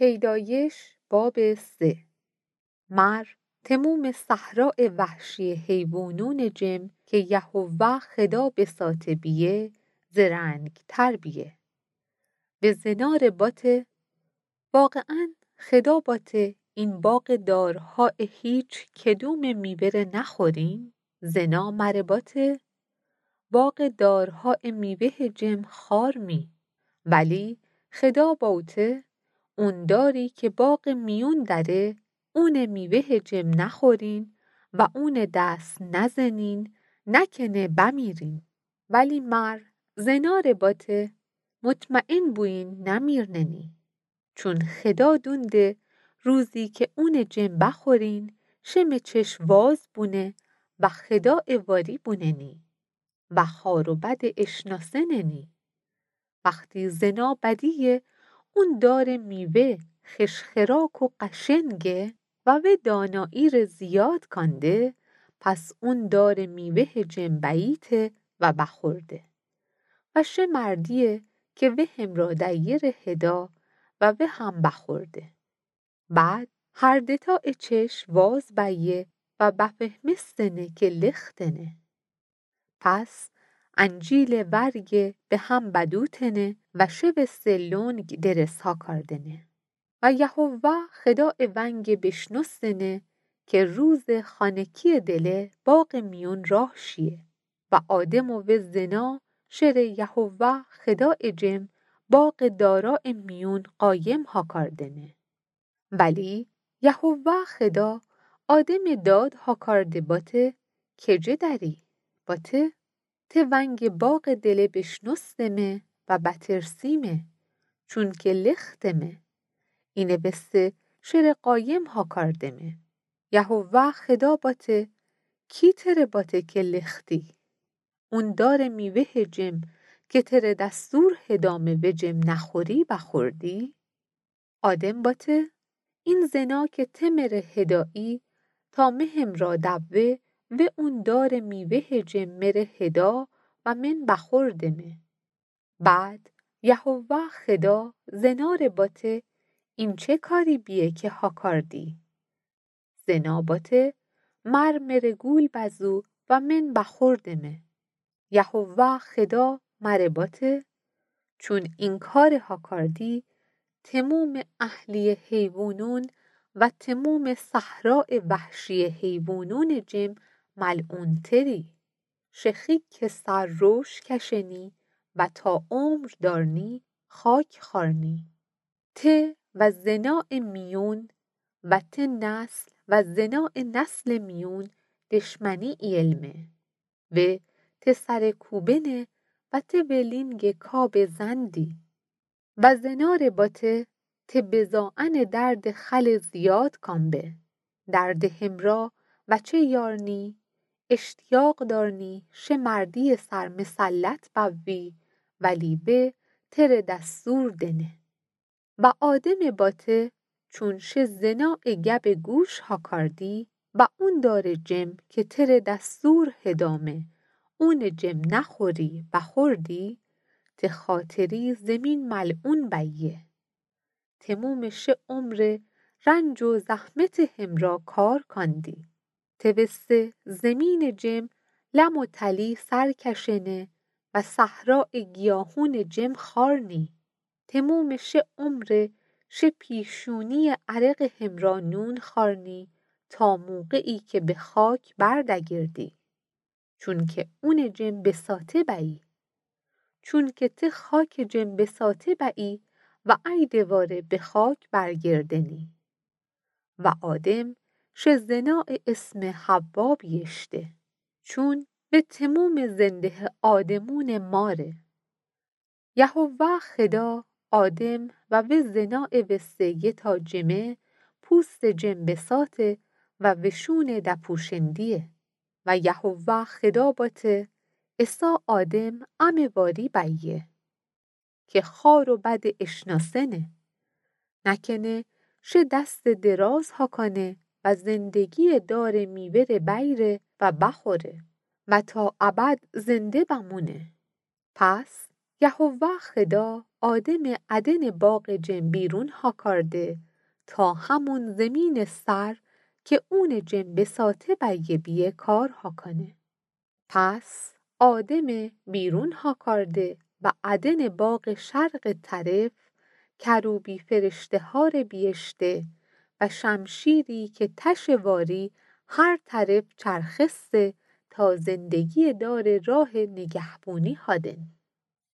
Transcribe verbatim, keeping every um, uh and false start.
پیدایش باب سه. مر تموم صحراء وحشی حیوانون جم که یهوه خدا بساطه بیه، زرنگ‌تر بیه. و زنا ره باته: واقعاً خدا باته این باغ دارها هیچ کدوم میوه ره نخورین؟ زنا مر باته: باغ دارها میوه جم خارمی، ولی خدا باته: اون داری که باغ میون دره، اون میوه جم نخورین و اون دست نزنین، نکنه بمیرین. ولی مر زنا ره باته: مطمئن بوین نمیرننی. چون خدا دونده روزی که اون جم بخورین، شه مه چشم واز بونه و خدا واری بوننی و خار و بد اشناسننی. وختی زنا بدیه اون دار میوه خش خراک و قشنگه و وی دانایی ره زیاد کانده، پس اون دار میوه جم بییته و بخورده. و شه مردیه که وی همرا دیه ره هدا و وی هم بخورده. بعد هر دتا ا چشم واز بیه و بفهمستنه که لختنه. پس انجیل ورگه به هم بدوتنه و شه وسه لنگ درس هاکاردنه. و یهوه خدا ونگه بشنستنه که روز خانکیه دله باغ میون راه شیه. و آدم و وی زنا شره یهوه خدا جم باغ دارا میون قایم هاکاردنه. ولی یهوه خدا آدم داد هاکارده باته: کجه دری؟ باته: ته ونگ باغ دله بشنستمه و بترسیمه، چونکه لختمه. اینه وسه شره قایم هاکاردمه. یهوه خدا باته: کی تره باته که لختی؟ اون دار میوه جم که تره دستور هدامه و جم نخوری بخوردی؟ آدم باته: این زنا که ته مره هدایی تا مه همرا دوه، و اون دار میوه جم مره هدا و من بخوردمه. بعد یهوه خدا زنا ره باته: این چه کاری بیه که هاکاردی؟ زنا باته: مر مره گول بزو و من بخوردمه. یهوه خدا مره باته: چون این کار هاکاردی، تموم اهلی حیوانون و تموم صحراء وحشی حیوانون جم ملعون‌تری. شه خیک سر روش کشنی و تا عمر دارنی خاک خارنی. ته و زنا میون و ته نسل و زنا نسل میون دشمنی اییلمه و ته سر کوبنه و ته ولینگ کاب زندی. و زنا ره باته: ته بزائن درد خل زیاد کان به. درد همرا وچه یارنی، اشتیاق دارنی شه مردی سر مسلط بوی، ولی وی تره دستور دنه. و آدم باته: چون شه زنا گب گوش هاکاردی و اون دار جم که تره دستور هدامه اون جم نخوری بخوردی، ته خاطری زمین ملعون بیه. تموم شه عمر رنج و زحمت همرا کار کاندی. ته وسه زمین جم لم و تلی سر کشنه و صحراء گیاهون جم خارنی. تموم شه عمر شه پیشونی عرق همرا نون خارنی تا موقعی که به خاک بر دگردی. چونکه اون جم بساطه بیی. چونکه ته خاک جم بساطه بیی و ای دواره به خاک برگردنی. و آدم شه زنا اسم حوا بییشته، چون و تموم زنده آدمون ماره. یهوه خدا آدم و وی زنا وسه یه تا جمه پوست جم بساطه و وشون دپوشندیه. و یهوه خدا باته: عصا آدم امه واری بیه که خار و بد اشناسنه. نکنه شه دست دراز هاکانه و زندگی دار میوه ره بیره و بخوره و تا ابد زنده بمونه. پس یهوه خدا آدم ادن باغ جن بیرون هاکارده تا همون زمین سر که اون جن بساطه بیه کار هاکنه. پس آدم بیرون هاکارده و ادن باغ شرق طرف کروبی فرشته هار بیهشته و شمشیری که تش واری هر طرف چرخسته تا زندگی دار راه نگهبونی هادن.